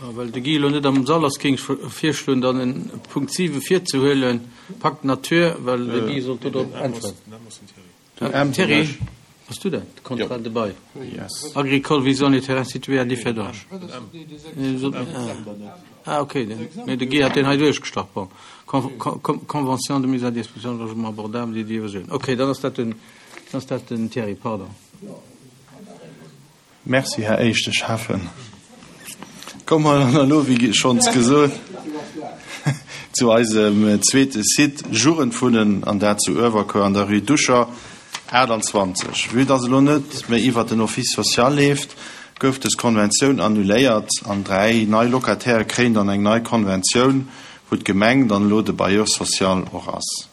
Well de Guy elo net am Sall ass, géing ech virschloen, dann den Punkt 7 virzehuelen, Pacte Nature, well de Guy sollt do drop äntweren. Thierry, bass du dat? Contrat de bail agricole visant les terrains situés à Differdange. Ah ok, nee, de Guy hat deen hei duerchgestach. Bon, Convention de mise à disposition de logements abordables dédiés aux jeunes. Ok, dann ass dat den, dann ass dat den Thierry, pardon. Merci, Här éischte Schäffen. Komme mer dann elo, wéi schonns gesot, zu eisem zweete Site, Jugendwunnen, an dat zu Uewerkuer an der Rue Duscher 28. Vue dass elo net méi iwwert den Office social leeft, gouf dës Konventioun annuléiert an 3 nei Locataire kréien dann eng nei Konventioun, wou d'Gemeng dann elo de Bailleur social och ass.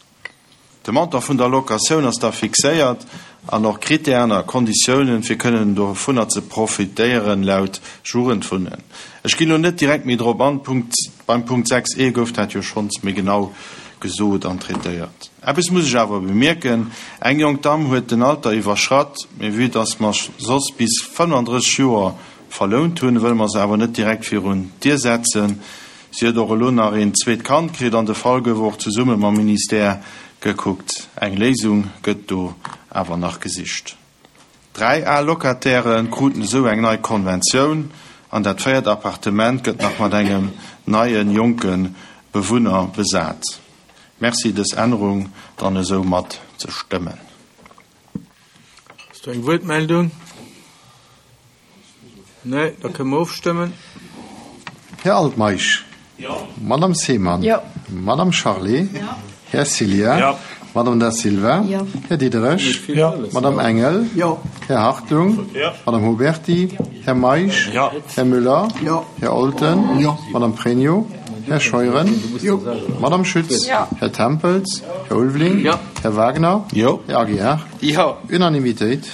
De Montant vun der Locatioun ass da fixéiert an och Kritären a Konditiounen, fir kënnen dovunner ze profitéieren, laut Jugendwunnen. Ech ginn elo net direkt méi drop an, Punkt, beim Punkt 6 e gouf dat jo schonns méi genau gesot an traitéiert. Eppes muss ech awer bemierken, Eng jonk Damm huet den Alter iwwerschratt, mee vue dass mer soss bis 35 Joer verlount hunn, wëlle mer se awer net direkt virun d'Dier setzen. Si huet och elo nach een zweet Kand kritt an de Fall gouf och zesumme mam Ministère gekuckt. Eng Léisung gëtt do awer nach gesicht. 3 al Locataire kruten esou eng nei Konventioun an dat véiert Appartement gëtt nach mat engem neie jonke Bewunner besat. Merci dës Ännerung dann esou mat ze stëmmen. Ass do eng Wuertmeldung? Nee, da kënne mer ofstëmmen. Här Altmeisch. Jo. Madame Seemann. Jo. Madame Charlé. Jo. Här Cillien. Jo. Madame Da Silva. Jo. Här Diderich. Jo. Madame Engel. Jo. Här Hartung. Jo. Madame Huberty. Jo. Här Meisch. Jo. Här Müller. Jo. Här Olten. Jo. Madame Pregno. Här Scheuren. Jo. Madame Schütz. Jo. Här Tempels. Här Ulveling. Jo. Här Wagner. Jo. Här Aguiar. Jo. Unanimitéit.